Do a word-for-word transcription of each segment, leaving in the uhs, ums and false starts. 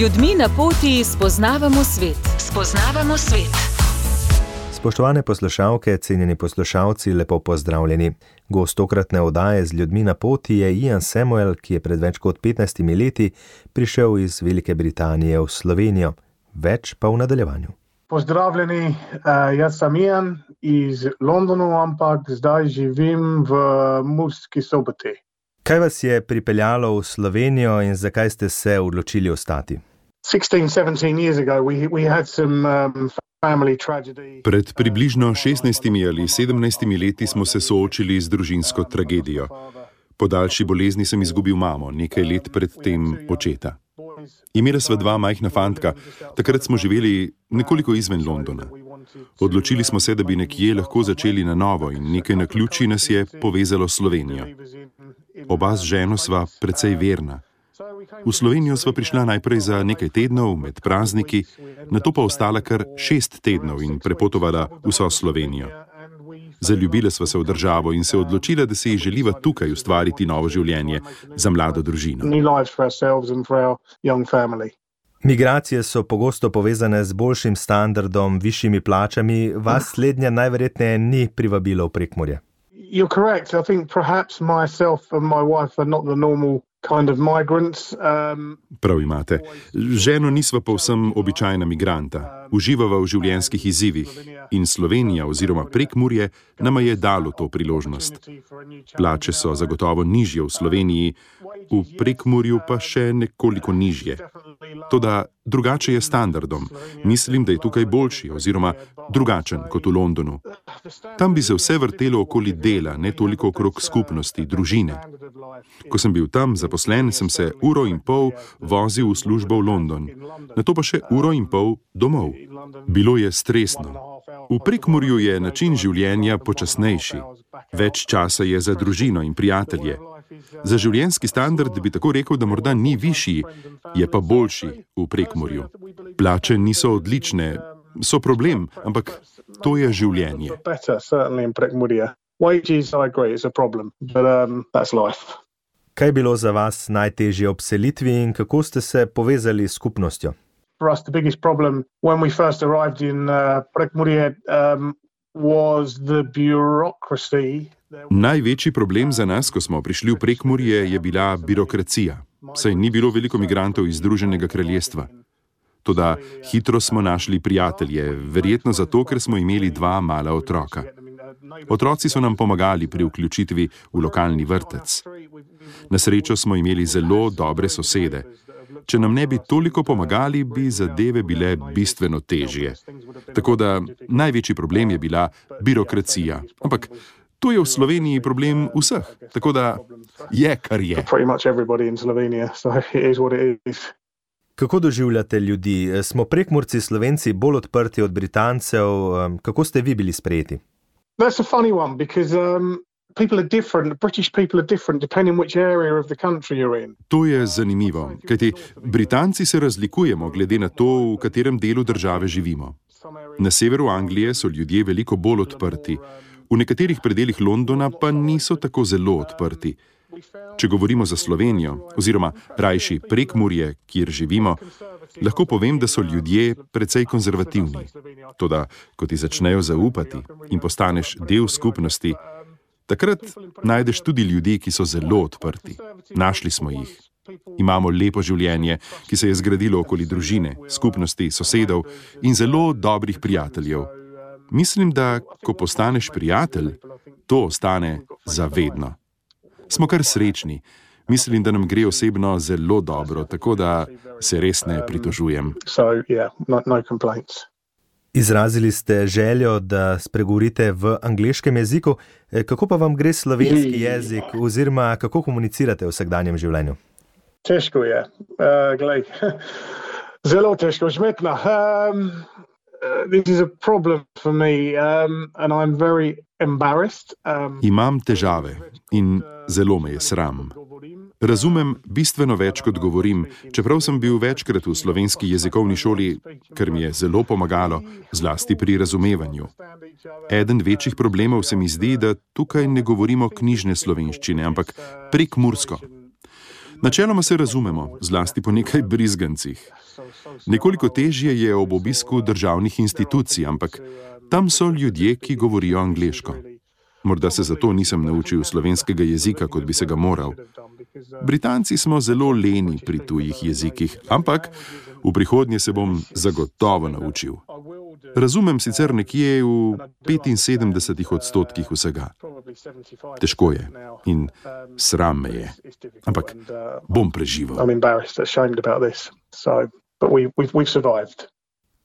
ljudmi na poti spoznavamo svet. Spoznavamo svet. Spoštovane poslušalke, cenjeni poslušalci, lepo pozdravljeni. Gost tokratne oddaje z ljudmi na poti je Ian Samuel, ki je pred več kot petnajstimi leti prišel iz Velike Britanije v Slovenijo. Več pa v nadaljevanju. Pozdravljeni, jaz sem Ian iz Londonu, ampak zdaj živim v Murski Soboti. Kaj vas je pripeljalo v Slovenijo in zakaj ste se odločili ostati? sixteen, seventeen years ago we, we had some um, family tragedy. Pred približno šestnajstimi ali sedemnajstimi leti smo se soočili z družinsko tragedijo. Po daljši bolezni sem izgubil mamo, nekaj let pred tem očeta. Imela sva dva majhna fantka, takrat smo živeli nekoliko izven Londona. Odločili smo se, da bi nekje lahko začeli na novo in nekaj naključij nas je povezalo s Slovenijo. Oba z ženo sva precej verna. V Slovenijo sva prišla najprej za nekaj tednov med prazniki, nato pa ostala kar šest tednov in prepotovala vso Slovenijo. Zaljubila sva se v državo in se odločila, da se ji želiva tukaj ustvariti novo življenje za mlado družino. Migracije so pogosto povezane z boljšim standardom, višjimi plačami. Vas slednja najverjetneje ni privabilo v Prekmurje. You're correct. I think perhaps myself and my wife are not the normal kind of migrants. Um, Prav imate. Ženo nisva povsem običajna migranta. Uživava v življenjskih izzivih in Slovenija oziroma Prekmurje nama je dalo to priložnost. Plače so zagotovo nižje v Sloveniji, v Prekmurju pa še nekoliko nižje. Toda drugače je standardom. Mislim, da je tukaj boljši oziroma drugačen kot v Londonu. Tam bi se vse vrtelo okoli dela, ne toliko okrog skupnosti, družine. Ko sem bil tam zaposlen, sem se uro in pol vozil v službo v London, nato pa še uro in pol domov. Bilo je stresno. V Prekmurju je način življenja počasnejši. Več časa je za družino in prijatelje. Za življenjski standard bi tako rekel, da morda ni višji, je pa boljši v Prekmurju. Plače niso odlične, so problem, ampak to je življenje. Kaj je bilo za vas najtežje ob selitvi in kako ste se povezali s skupnostjo? For us, the biggest problem when we first arrived in uh, Prekmurje um, was the bureaucracy. Največji problem za nas, ko smo prišli v Prekmurje, je bila birokracija. Saj ni bilo veliko migrantov iz Združenega kraljestva. Toda hitro smo našli prijatelje, verjetno zato, ker smo imeli dva mala otroka. Otroci so nam pomagali pri vključitvi v lokalni vrtec. Na srečo smo imeli zelo dobre sosede. Če nam ne bi toliko pomagali, bi zadeve bile bistveno težje. Tako da največji problem je bila birokracija. Ampak to je v Sloveniji problem vseh. Tako da je, kar je. Kako doživljate ljudi? Smo Prekmurci Slovenci bolj odprti od Britancev? Kako ste vi bili sprejeti? That's a funny one because um people are different. British people are different depending which area of the country you're in. To je zanimivo, kajti Britanci se razlikujemo glede na to, v katerem delu države živimo. Na severu Anglije so ljudje veliko bolj odprti, v nekaterih predelih Londona pa niso tako zelo odprti. Če govorimo za Slovenijo, oziroma rajši Prekmurje, kjer živimo, lahko povem, da so ljudje precej konzervativni. Toda, ko ti začnejo zaupati in postaneš del skupnosti, takrat najdeš tudi ljudi, ki so zelo odprti. Našli smo jih. Imamo lepo življenje, ki se je zgradilo okoli družine, skupnosti, sosedov in zelo dobrih prijateljev. Mislim, da ko postaneš prijatelj, to ostane zavedno. Smo kar srečni. Mislim, da nam gre osebno zelo dobro, tako da se res ne pritožujem. So, yeah, no, no complaints. Izrazili ste željo, da spregovorite v angleškem jeziku. Kako pa vam gre slovenski jezik oziroma kako komunicirate v vsakdanjem življenju? Težko je. Uh, glej, zelo težko. Žmetna. Um, this is a problem for me um, and I'm very embarrassed. Um, Imam težave in zelo me je sram. Razumem bistveno več, kot govorim, čeprav sem bil večkrat v slovenski jezikovni šoli, kar mi je zelo pomagalo, zlasti pri razumevanju. Eden večjih problemov se mi zdi, da tukaj ne govorimo knjižne slovenščine, ampak prekmursko. Načeloma se razumemo, zlasti po nekaj brizgancih. Nekoliko težje je ob obisku državnih institucij, ampak tam so ljudje, ki govorijo angleško. Morda se zato nisem naučil slovenskega jezika, kot bi se ga moral. Britanci smo zelo leni pri tujih jezikih, ampak v prihodnje se bom zagotovo naučil. Razumem sicer nekje v petinsedemdesetih odstotkih vsega. Težko je in sram me je, ampak bom preživel.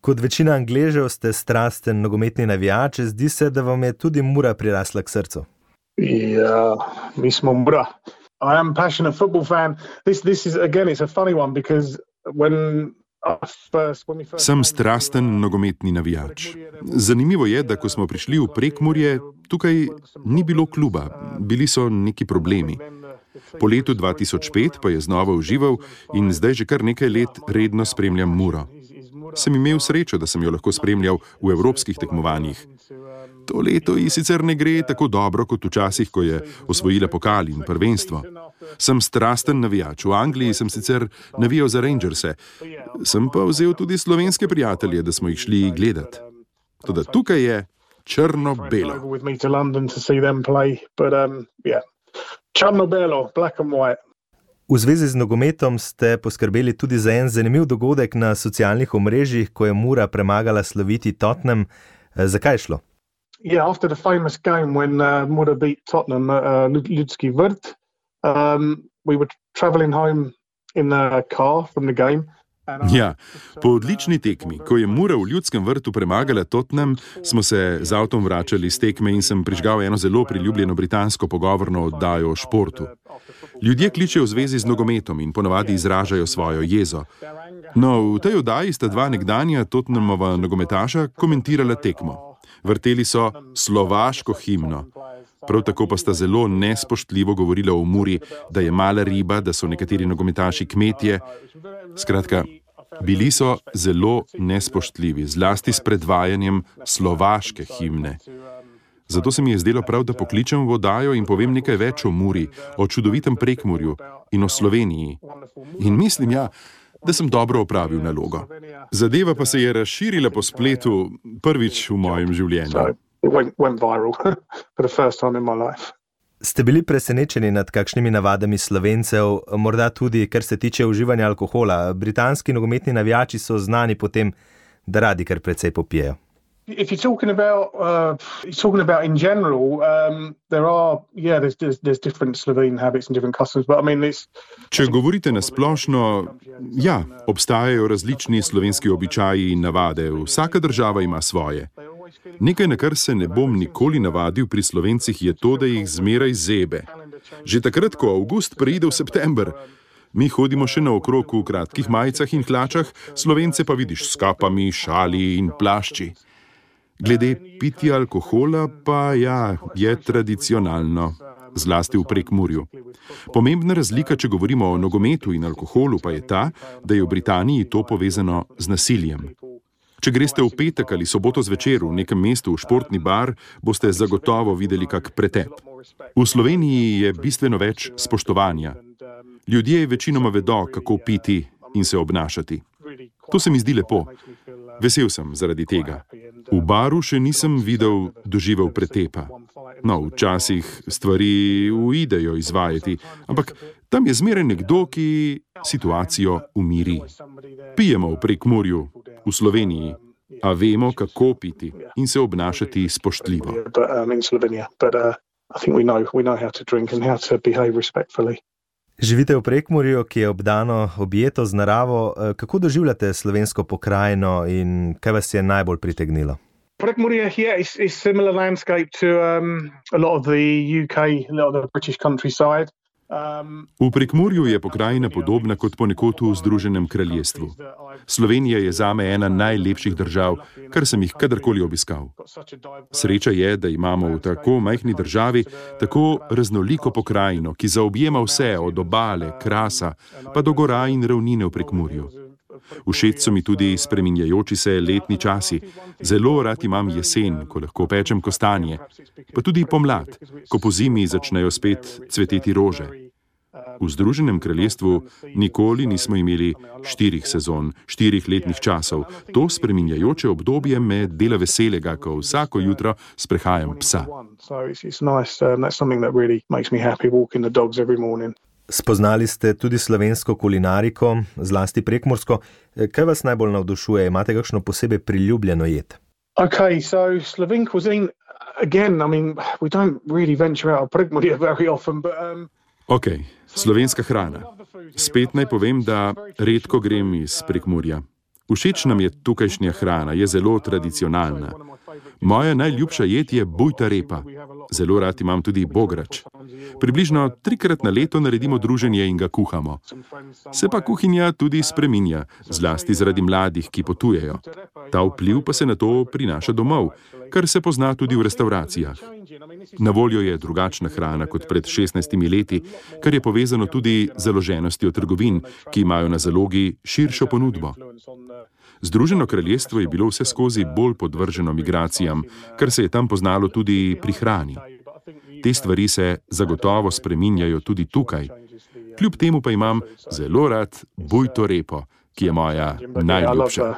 Kot večina Angležev ste strasten nogometni navijač, zdi se, da vam je tudi Mura prirasla k srcu. Ja, mi smo Mura. I am a passionate football fan. This, this is, again, it's a funny one, because when Sem strasten nogometni navijač. Zanimivo je, da ko smo prišli v Prekmurje, tukaj ni bilo kluba, bili so neki problemi. Po letu dva tisoč pet pa je znova užival in zdaj že kar nekaj let redno spremljam Muro. Sem imel srečo, da sem jo lahko spremljal v evropskih tekmovanjih. To leto ji sicer ne gre tako dobro kot včasih, ko je osvojila pokal in prvenstvo. Sem strasten navijač. V Angliji sem sicer navijal za Rangerse. Sem pa vzel tudi slovenske prijatelje, da smo jih šli gledat. Toda tukaj je črno-belo. Črno-belo, black and white. V zvezi z nogometom ste poskrbeli tudi za en zanimiv dogodek na socialnih omrežjih, ko je Mura premagala sloviti Tottenham. Zakaj je šlo? Yeah, after the famous game when uh, Mura beat Tottenham at uh, Ljudski vrt, um, we were travelling home in a car from the game. Ja, po odlični tekmi, ko je Mura v Ljudskem vrtu premagala Tottenham, smo se z avtom vračali z tekme in sem prižgal eno zelo priljubljeno britansko pogovorno oddajo o športu. Ljudje kličejo v zvezi z nogometom in ponavadi izražajo svojo jezo. No, v tej oddaji sta dva nekdanja Tottenhamova nogometaša komentirala tekmo. Vrteli so slovaško himno. Prav tako pa sta zelo nespoštljivo govorila o Muri, da je mala riba, da so nekateri nogometaši kmetje. Skratka, bili so zelo nespoštljivi, zlasti s predvajanjem slovaške himne. Zato se mi je zdelo prav, da pokličem v oddajo in povem nekaj več o Muri, o čudovitem Prekmurju in o Sloveniji. In mislim, ja, da sem dobro opravil nalogo. Zadeva pa se je razširila po spletu prvič v mojem življenju. Ste bili presenečeni nad kakšnimi navadami Slovencev, morda tudi, kar se tiče uživanja alkohola? Britanski nogometni navijači so znani po tem, da radi kar precej popijejo. If you're talking about, uh, you're talking about in general, um, there are, yeah, there's, there's, there's different Slovene habits and different customs, but I mean, it's... Če govorite na splošno, ja, obstajajo različni slovenski običaji in navade, vsaka država ima svoje. Nekaj, na kar se ne bom nikoli navadil pri Slovencih, je to, da jih zmeraj zebe. Že takrat, ko avgust preide v september, mi hodimo še naokrog v kratkih majicah in hlačah, Slovence pa vidiš s kapami, šali in plašči. Glede pitja alkohola pa ja, je tradicionalno, zlasti v Prekmurju. Pomembna razlika, če govorimo o nogometu in alkoholu, pa je ta, da je v Britaniji to povezano z nasiljem. Če greste v petek ali soboto zvečer v nekem mestu v športni bar, boste zagotovo videli kak pretep. V Sloveniji je bistveno več spoštovanja. Ljudje večinoma vedo, kako piti in se obnašati. To se mi zdi lepo. Vesel sem zaradi tega. V baru še nisem videl doživel pretepa. No, včasih stvari uidejo izvajati, ampak tam je zmeraj nekdo, ki situacijo umiri. Pijemo v Prekmurju, v Sloveniji, a vemo, kako piti in se obnašati spoštljivo. Živite v Prekmurju, ki je obdano objeto z naravo. Kako doživljate slovensko pokrajino in kaj vas je najbolj pritegnilo? Prekmurje, yeah, it's, it's similar landscape to um, a lot of the U K, a lot of the British countryside. Um, v Prekmurju je pokrajina podobna kot ponekod v Združenem kraljestvu. Slovenija je zame ena najlepših držav, kar sem jih kadarkoli obiskal. Sreča je, da imamo v tako majhni državi tako raznoliko pokrajino, ki zaobjema vse od obale, krasa, pa do gora in ravnine v Prekmurju. Všeč so mi tudi spreminjajoči se letni časi. Zelo rad imam jesen, ko lahko pečem kostanje, pa tudi pomlad, ko po zimi začnejo spet cveteti rože. V Združenem kraljestvu nikoli nismo imeli štirih sezon, štirih letnih časov. To spreminjajoče obdobje me dela veselega, ko vsako jutro sprehajam psa. Spoznali ste tudi slovensko kulinariko, zlasti prekmursko. Kaj vas najbolj navdušuje? Imate kakšno posebej priljubljeno jed? Okay, so Slovene cuisine, again, I mean, we don't really venture out of Prekmurje very often, but... Um... Ok, slovenska hrana. Spet naj povem, da redko grem iz Prekmurja. Všeč nam je tukajšnja hrana, je zelo tradicionalna. Moja najljubša jed je bujta repa. Zelo rad imam tudi bograč. Približno trikrat na leto naredimo druženje in ga kuhamo. Se pa kuhinja tudi spreminja, zlasti zaradi mladih, ki potujejo. Ta vpliv pa se na to prinaša domov, kar se pozna tudi v restauracijah. Na voljo je drugačna hrana kot pred šestnajstimi leti, kar je povezano tudi z založenostjo trgovin, ki imajo na zalogi širšo ponudbo. Združeno kraljestvo je bilo vse skozi bolj podvrženo migracijam, kar se je tam poznalo tudi pri hrani. Te stvari se zagotovo spreminjajo tudi tukaj. Kljub temu pa imam zelo rad bujto repo, ki je moja najljubša.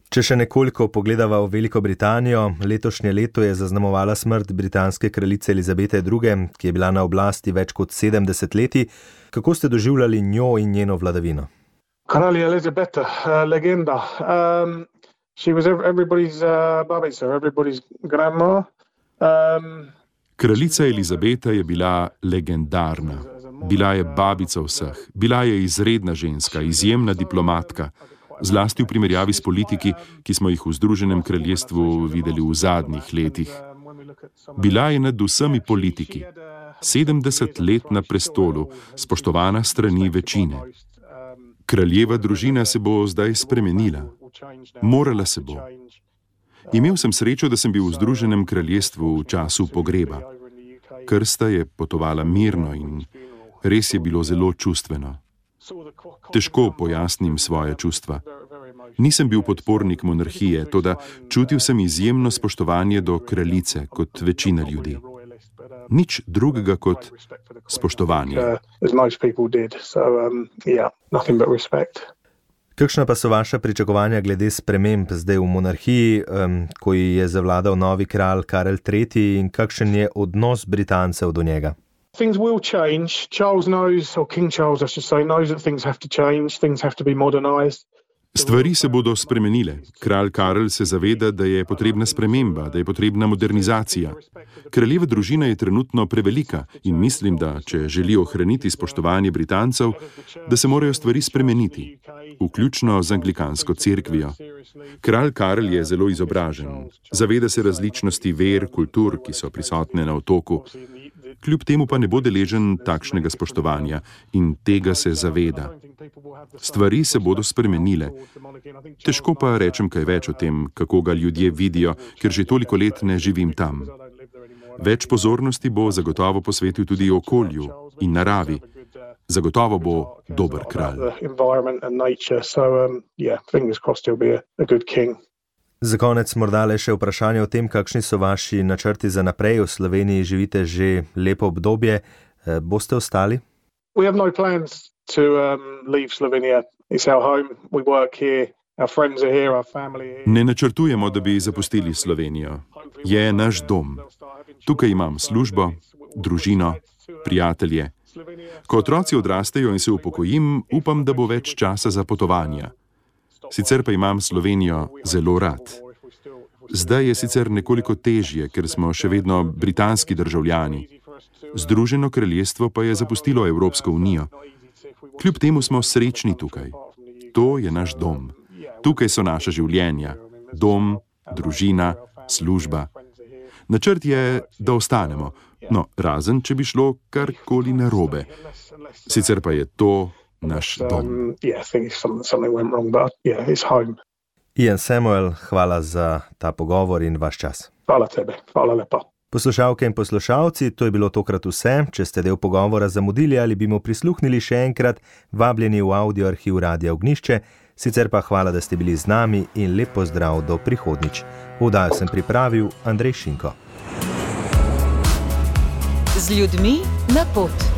Če še nekoliko pogledava v Veliko Britanijo, letošnje leto je zaznamovala smrt britanske kraljice Elizabete druge., ki je bila na oblasti več kot sedemdeset leti. Kako ste doživljali njo in njeno vladavino? Kralja Elizabeta, uh, legenda. Um, she was everybody's uh, babica, everybody's grandma. Um, Kraljica Elizabeta je bila legendarna. Bila je babica vseh. Bila je izredna ženska, izjemna diplomatka. Zlasti v primerjavi s politiki, ki smo jih v Združenem kraljestvu videli v zadnjih letih. Bila je nad vsemi politiki. sedemdeset let na prestolu, spoštovana strani večine. Kraljeva družina se bo zdaj spremenila. Morala se bo. Imel sem srečo, da sem bil v Združenem kraljestvu v času pogreba. Krsta je potovala mirno in res je bilo zelo čustveno. Težko pojasnim svoje čustva. Nisem bil podpornik monarhije, toda čutil sem izjemno spoštovanje do kraljice kot večina ljudi. Nič drugega kot spoštovanje. Kakšna pa so vaša pričakovanja glede sprememb zdaj v monarhiji, um, ko je zavladal novi kralj Karel tretji, in kakšen je odnos Britancev do njega? Things will change. Charles knows, or King Charles, I should say, knows that things have to change, things have to be modernized. Stvari se bodo spremenile. Kralj Karel se zaveda, da je potrebna sprememba, da je potrebna modernizacija. Kraljeva družina je trenutno prevelika in mislim, da če želi ohraniti spoštovanje Britancev, da se morajo stvari spremeniti, vključno z anglikansko cerkvijo. Kralj Karel je zelo izobražen. Zaveda se različnosti ver, kultur, ki so prisotne na otoku. Kljub temu pa ne bo deležen takšnega spoštovanja in tega se zaveda. Stvari se bodo spremenile. Težko pa rečem kaj več o tem, kako ga ljudje vidijo, ker že toliko let ne živim tam. Več pozornosti bo zagotovo posvetil tudi okolju in naravi. Zagotovo bo dober kralj. Za konec morda le še vprašanje o tem, kakšni so vaši načrti za naprej. V Sloveniji živite že lepo obdobje. Boste ostali? We have no plans to um, leave Slovenia. It's our home. We work here. Our friends are here, our family here. Ne načrtujemo, da bi zapustili Slovenijo. Je naš dom. Tukaj imam službo, družino, prijatelje. Ko otroci odrastejo in se upokojim, upam, da bo več časa za potovanja. Sicer pa imam Slovenijo zelo rad. Zdaj je sicer nekoliko težje, ker smo še vedno britanski državljani. Združeno kraljestvo pa je zapustilo Evropsko unijo. Kljub temu smo srečni tukaj. To je naš dom. Tukaj so naša življenja. Dom, družina, služba. Načrt je, da ostanemo. No, razen, če bi šlo karkoli narobe. Sicer pa je to naš dom. Ian Samuel, hvala za ta pogovor in vaš čas. Hvala tebi, hvala lepa. Poslušalke in poslušalci, to je bilo tokrat vse. Če ste del pogovora zamudili ali bi mu prisluhnili še enkrat, vabljeni v audio arhiv Radia Ognjišče. Sicer pa hvala, da ste bili z nami in lep pozdrav do prihodnjič. Vdajo sem pripravil Andrej Šinko. Z ljudmi na pot.